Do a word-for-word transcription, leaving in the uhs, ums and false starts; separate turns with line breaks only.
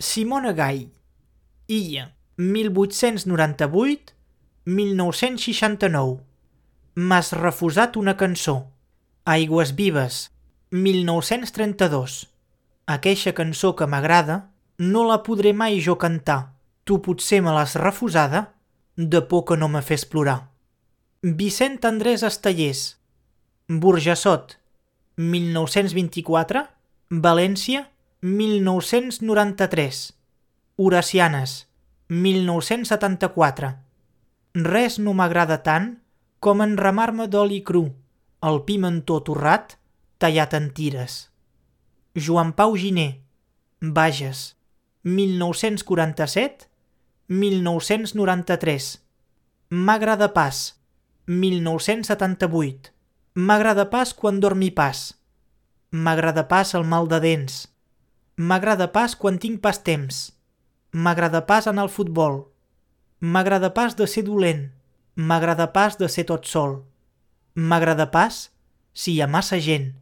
Simona Gai. Illa, mil vuit-cents noranta-vuit a mil nou-cents seixanta-nou. M'has refusat una cançó. Aigües vives, mil nou-cents trenta-dos. Aqueixa cançó que m'agrada no la podré mai jo cantar. Tu potser me l'has refusada de por que no me fes plorar. Vicent Andrés Estellés. Burjassot, mil nou-cents vint-i-quatre. València, mil nou-cents noranta-tres. Horacianes, mil nou-cents setanta-quatre. Res no m'agrada tant com enramar-me d'oli cru, el pimentó torrat tallat en tires. Joan Pau Giner. Bages, mil nou-cents quaranta-set a mil nou-cents noranta-tres. Magre de pas, mil nou-cents setanta-vuit. M'agrada pas quan dormi pas. M'agrada pas el mal de dents. M'agrada pas quan tinc pas temps. M'agrada pas anar al futbol. M'agrada pas de ser dolent. M'agrada pas de ser tot sol. M'agrada pas si hi ha massa gent.